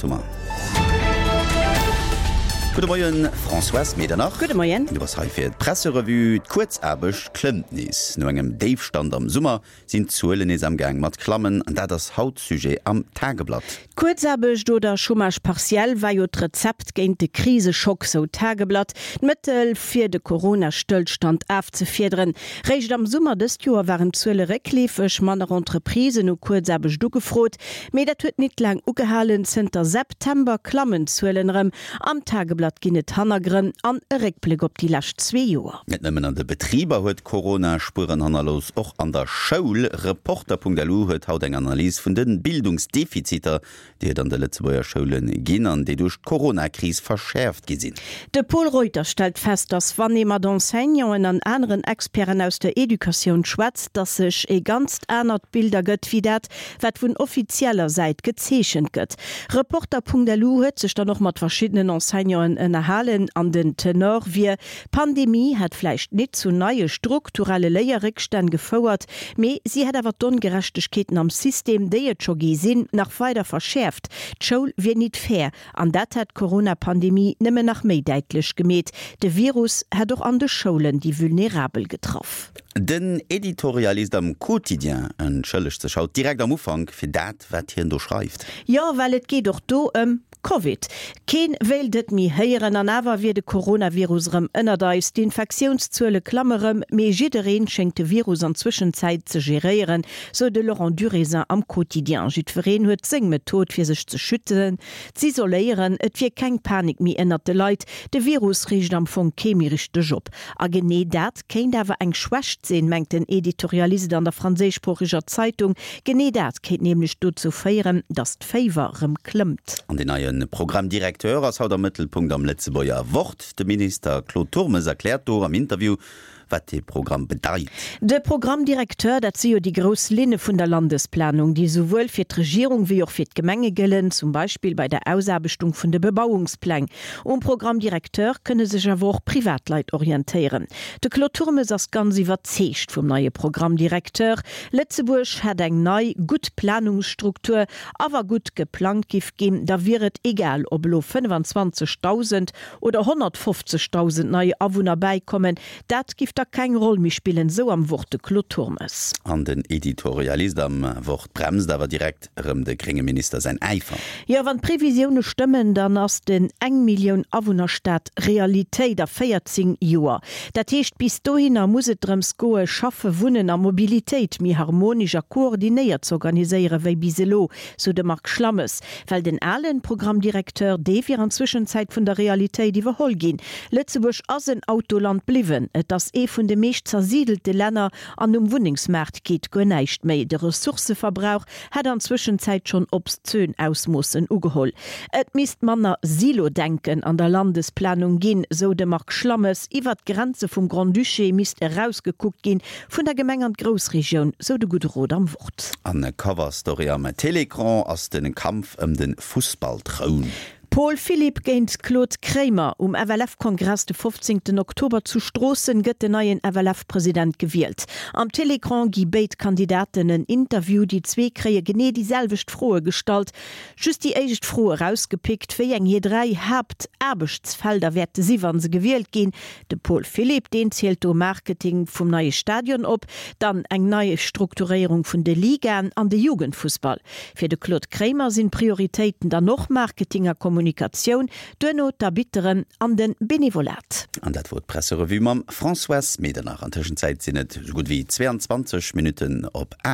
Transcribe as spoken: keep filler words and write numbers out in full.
Thomas. Gudde Moien, Françoise Medernach. Gudde Moien. Du bass hei fir d'Presserevue. D'Kuerzaarbecht klëmmt nees. No engem Déifstand am Summer sinn d'Zuelen nees am Gaang mat klammen. An dat ass haut Sujet am Tageblatt. Kuerzaarbecht oder Chômage partiel war jo d'Rezept géint de Kriseschock, sou d'Tageblatt. D'Mëttel fir de Corona-Stëllstand afzefiederen. Réischt am Summer dëst Joer waren d'Zuele réckleefeg, manner Entreprisen hu Kuerzaarbecht ugefrot. Mee dat huet nit laang ugehalen, zënter September klammen d'Zuelen erëm. Am Tageblatt ginn et Hannergrënn an e Réckbléck op déi lescht zwee Joer. Net nëmmen an de Betriber huet Corona Spueren hannerlooss, och an der Schoul. Reporter.lu huet haut eng Analys vun de Bildungsdefiziter, déi et an de Lëtzebuerger Schoule ginn an déi duerch d'Corona-Kris verschäerft gi sinn. De Pol Reuter stellt fest, dass wann ee mat Enseignanten an aneren Experten aus der Educatioun schwätzt, dass sech e ganzt anert Bild ergëtt wéi dat, wat vun offizieller Säit gezeechent gëtt. Reporter.lu huet sech dann och mat verschiddenen Enseignanten ënnerhalen an den Tenor wier, D'Pandemie hätt vläicht nit zu neie strukturelle Léierréckstänn gefouert, mee si hätt awer d'Ongerechtegkeeten am System, déi et scho gi sinn, nach weider verschäerft. D'Schoul wier nit fair an dat hätt d'Corona-Pandemie nëmmen nach méi däitlech gemeet. De Virus hätt och an de Schoulen déi Vulnerabel getraff. Den Editorialist am Quotidien entschëllegt sech haut direkt am Ufank fir dat, wat hien do schreift. Jo, well et geet och do ëm Covid. Keen wéilt et méi héieren, an awer wier de Coronavirus erëm ënnert eis. D'Infektiounszuele klamme rëm, mee jiddereen schéngt de Virus an Zwëschenzäit ze geréieren, sou de Laurent Durézin am Quotidien. Jiddwereen huet seng Method fir sech ze schützen, z'isoléieren. Et wier keng Panik méi ënnert de Leit, de Virus reegt am Fong kee méi richteg op. A genee dat kéint awer eng Schwächt sinn, mengt den Editorialist an der franséischsproocheger Zeitung. Genee dat kéint nämlech dozou féieren, datt d'Féiwer rëm klëmmt. An deen neie Programme directeur ass haut am Mëttelpunkt am Lëtzebuerger Wort. De Minister Claude Turmes erkläert do am Interview, wat dee Programm bedeit. De Programme directeur, dat si jo déi grouss Linne vun der Landesplanung, déi souwuel fir d'Regierung wéi och fir d'Gemenge gëllen, zum Beispill bei der Ausaarbechtung vun de Bebauungspläng. Um Programme directeur kënne sech awer och Privatleit orientéieren. De Claude Turmes ass ganz iwwerzeegt vum neie Programme directeur. Lëtzebuerg hätt eng nei, gutt Planungsstruktur a wa gutt geplangt giff ginn, da wier et egal, ob elo fënnefenzwanzegdausend oder honnertfofzegdausend nei Awunner bäikommen, dat giff da keng Roll méi spillen, sou am Wort de Claude Turmes. An den Editorialist am Wort bremst awer direkt erëm de grénge Minister säin Äifer. Jo, wann d'Previsioune stëmmen, dann ass den Eng-Millioun-Awunner-Staat Realitéit a véierzéng Joer. Dat heescht, bis dohinner muss et drëms goe, Schaffe, Wunnen a Mobilitéit méi harmonesch a koordinéiert z'organiséiere wéi bis elo, sou de Marc Schlammes. Well den alen Programme directeur, dee wier an Zwëschenzäit vun der Realitéit iwwerholl ginn. Lëtzebuerg ass en Autoland bliwwen. Et ass ee vun de meescht zersiedelte Länner an um Wunnengsmaart geet guer näischt méi. De Ressourcëverbrauch hätt an Zwëschenzäit schonn obszön Ausmoossen ugeholl. Et misst manner Silo-Denken an der Landesplanung ginn, sou de Marc Schlammes. Iwwert d'Grenze vum Grand-Duché misst erausgekuckt ginn, vun der Gemeng an d'Groussregioun, sou de gudde Rot am Wort. An Cover-Story am Télécran ass de Kampf ëm de Fussball-Troun. Paul Philipp géint Claude Kremer, Um F L F-Kongress de fofzéngten Oktober zu Stroossen gëtt den neien F L F-President gewielt. Am Télécran gi béid Kandidaten en Interview. Déi zwee kréie genee déi selwecht Froe gestallt. Just déi éischt Fro erausgepickt, wéi eng hir dräi Haaptaarbechtsfelder wäerte si wa se gewielt ginn. De Paul Philipp, deen zielt do Marketing vum neie Stadion op, dann eng nei Strukturéierung vun de Ligaen an de Jugendfussball. Fir de Claude Kremer sinn d'Prioritéiten dann och Marketing a Kommunikatioun, duerno d'Arbitteren an de Benevolat. An dat wor d'Presserevue mam Françoise Medernach. An Tëschenzäit sinn et esou gutt wéi zwéianzwanzeg Minutten op aacht.